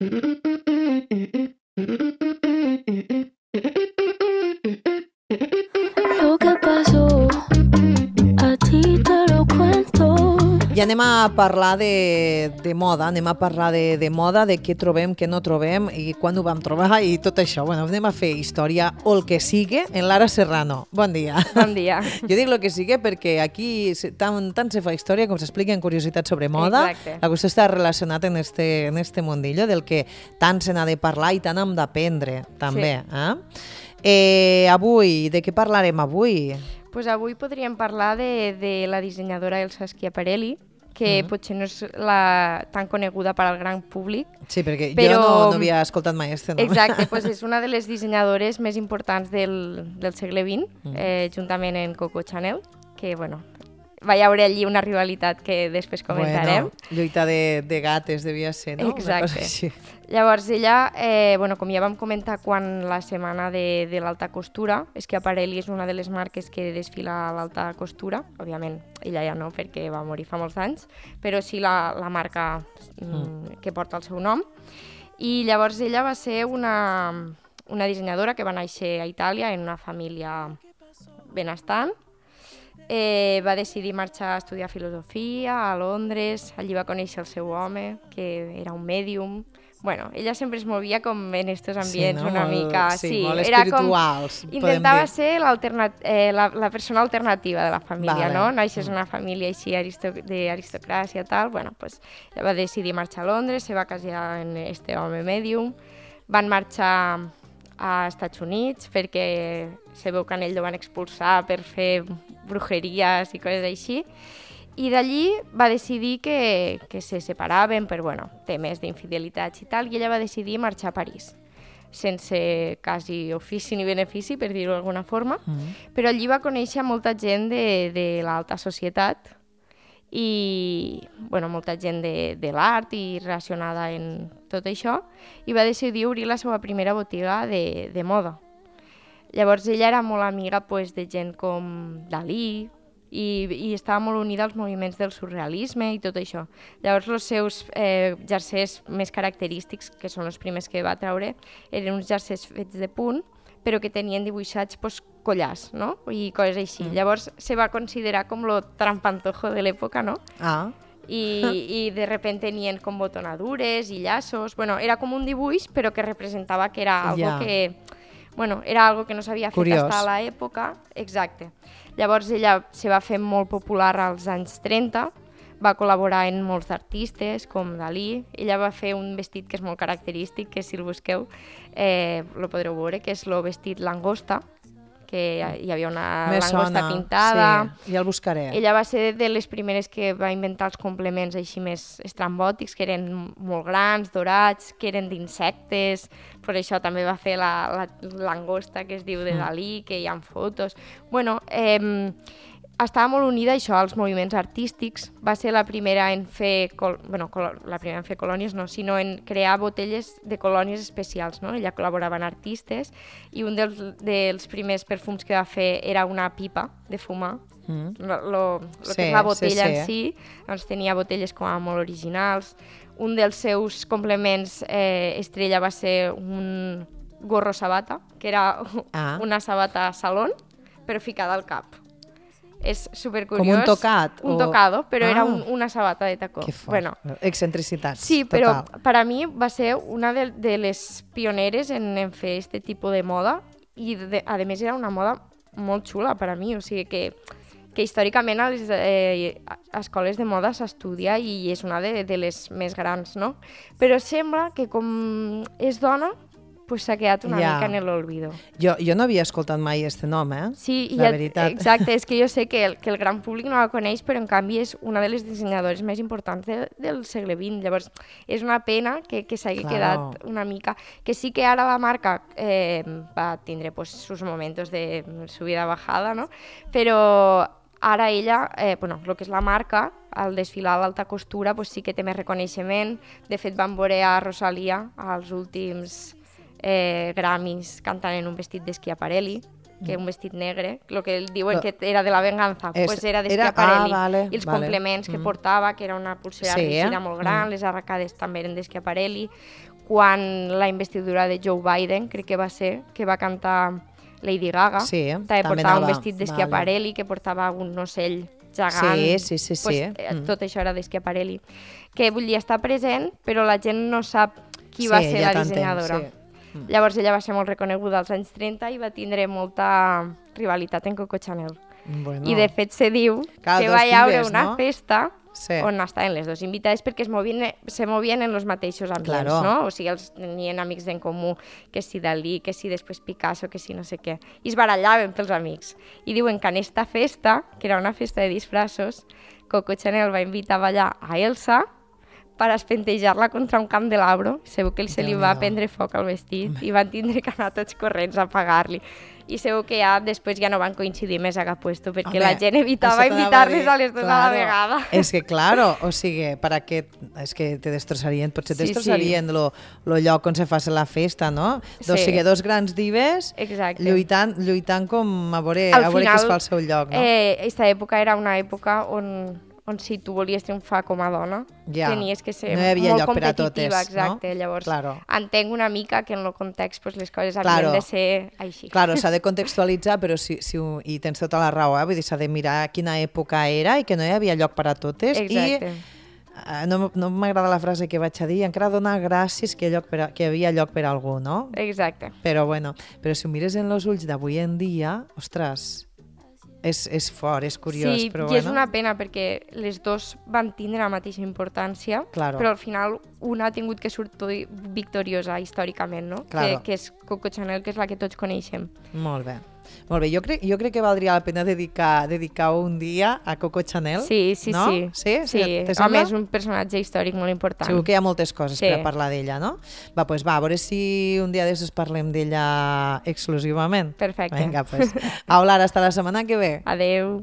Lo que pasó, a ti te lo cuento. I anem a parlar de moda, anem a parlar de moda, de què trobem, què no trobem i quan ho vam trobar i tot això. Bueno, anem a fer història o el que sigue en Lara Serrano. Bon dia. Bon dia. Jo dic el que sigue perquè aquí tant se fa història com s'expliquen curiositats sobre moda. Exacte. La qüestió està relacionat en este mundillo del que tant se n'ha de parlar i tant hem d'aprendre, també. Sí. Avui, de què parlarem avui? Pues avui podríem parlar de la dissenyadora Elsa Schiaparelli, que potser no és tan coneguda per al gran públic. Sí, perquè però... jo no havia escoltat mai este nom. Exacte, pues és una de les dissenyadores més importants del segle XX, juntament amb Coco Chanel, que, bueno, va hi haure allí una rivalitat que després comentarem. Bueno, lluita de gates devia ser, no? Exacte. Llavors ella, com ja vam comentar quan la setmana de l'alta costura, Schiaparelli és una de les marques que desfila a l'alta costura, òbviament ella ja no perquè va morir fa molts anys, però sí la marca que porta el seu nom. I llavors ella va ser una dissenyadora que va néixer a Itàlia en una família benestant. Va decidir marxar a estudiar filosofia a Londres, allí va conèixer el seu home, que era un mèdium. Bueno, ella sempre es movia com en estos ambients una mica... Sí, molt espirituals. Intentava ser la persona alternativa de la família, no? Naixes en una família així d'aristocràcia i tal. Bueno, pues ella va decidir marxar a Londres, se va casar amb este home mèdium, van marxar a Estats Units perquè se veu que en ell el van expulsar per fer brujeries i coses així. I d'allí va decidir que se separaven per temes d'infidelitats i tal, i ella va decidir marxar a París, sense quasi ofici ni benefici, per dir-ho d'alguna forma, però allí va conèixer molta gent de l'alta societat i molta gent de l'art i relacionada en tot això, i va decidir obrir la seva primera botiga de moda. Llavors ella era molt amiga de gent com Dalí, i estava molt unida als moviments del surrealisme i tot això. Llavors els seus jersers més característics, que són els primers que va treure, eren uns jersers fets de punt, però que tenien dibuixats collars, no? I coses així. Llavors se va considerar com lo trampantojo de l'època, no? I de repente tenien com botonadures i llaços. Era com un dibuix, però que representava que era algo que... era algo que no s'havia fet fins a l'època. Exacte. Llavors ella se va fer molt popular als anys 30, va col·laborar en molts artistes, com Dalí. Ella va fer un vestit que és molt característic, que si el busqueu el podreu veure, que és el vestit langosta, que hi havia una langosta pintada. Sí, ja el buscaré. Ella va ser de les primeres que va inventar els complements així més estrambòtics, que eren molt grans, dorats, que eren d'insectes. Per això també va fer la langosta que es diu de Dalí, que hi ha fotos. Estava molt unida això als moviments artístics. Va ser la primera en fer colònies, no, sinó en crear botelles de colònies especials, no? Ella col·laborava amb artistes i un dels primers perfums que va fer era una pipa de fumar. Lo que és la botella en si, doncs tenia botelles com a molt originals. Un dels seus complements estrella va ser un gorro sabata, que era una sabata salón, però ficada al cap. És supercuriós. Com un tocat? Un tocado, però era una sabata de tacó. Que fort. Excentricitats. Sí, però per a mi va ser una de les pioneres en fer aquest tipus de moda i, a més, era una moda molt xula per a mi. O sigui que històricament a les escoles de moda s'estudia i és una de les més grans, no? Però sembla que com és dona, s'ha quedat una mica en l'olvido. Jo no havia escoltat mai aquest nom, Sí, la veritat. Exacte, és que jo sé que el gran públic no la coneix, però en canvi és una de les dissenyadores més importants del segle XX. Llavors, és una pena que s'hagi quedat una mica... Que sí que ara la marca va tindre sus momentos de subida bajada, no? Però ara ella, el que és la marca, al desfilar a l'alta costura, sí que té més reconeixement. De fet, van veure a Rosalía als últims Grammys cantant en un vestit de Schiaparelli, que un vestit negre, el que diuen que era de la venganza, era de Schiaparelli. I els complements que portava, que era una pulsera rígida molt gran, les arracades també eren de Schiaparelli. quan la investidura de Joe Biden, crec que va ser, que va cantar Lady Gaga, Sí, també també portava un anava, vestit d'Schiaparelli, que portava un ocell gegant. Sí. Tot això era d'Schiaparelli. Que vull dir, està present, però la gent no sap qui va ser la dissenyadora. Sí. Llavors ella va ser molt reconeguda als anys 30 i va tindre molta rivalitat en Coco Chanel. Bueno. I de fet se diu Clar, que dos va hi haure filles, una no? festa Sí. on estaven les dues invitades perquè se movien en els mateixos ambients, Claro. no? O sigui, els tenien amics en comú, que si Dalí, que si després Picasso, que si no sé què. I es barallaven pels amics. I diuen que en esta festa, que era una festa de disfraços, Coco Chanel va invitar a ballar a Elsa per espentejar-la contra un candelabro. Segur que se li va prendre foc al vestit i van tindre que anar tots corrents a apagar-li. I segur que després ja no van coincidir més a cap puesto, perquè la gent evitava invitar-les a les dues a la vegada. És que, claro, o sigui, per aquest... És que te destrossarien, potser te destrossarien lo lloc on se fa la festa, no? O sigui, dos grans dives lluitant com a veure qui es fa el seu lloc, no? Aquesta època era una època on si tu volies triomfar com a dona, tenies que ser molt competitiva, exacte. Llavors, entenc una mica que en el context les coses havien de ser així. Claro, s'ha de contextualitzar, però i tens tota la raó, vull dir, s'ha de mirar quina època era i que no hi havia lloc per a totes. Exacte. I no m'agrada la frase que vaig a dir, encara donar gràcies que hi havia lloc per a algú, no? Exacte. Però bueno, si ho mires en els ulls d'avui en dia, ostres... És fort, és curiós, però i és una pena perquè les dos van tindre la mateixa importància, però al final una ha tingut que sortir victoriosa històricament, no? Que és Coco Chanel, que és la que tots coneixem. Molt bé. Molt bé, jo crec que valdria la pena dedicar un dia a Coco Chanel. Sí. No? Sí? A més, és un personatge històric molt important. Segur que hi ha moltes coses per a parlar d'ella, no? Va, a veure si un dia d'això parlem d'ella exclusivament. Perfecte. Vinga, Lara, hasta la setmana que ve. Adeu.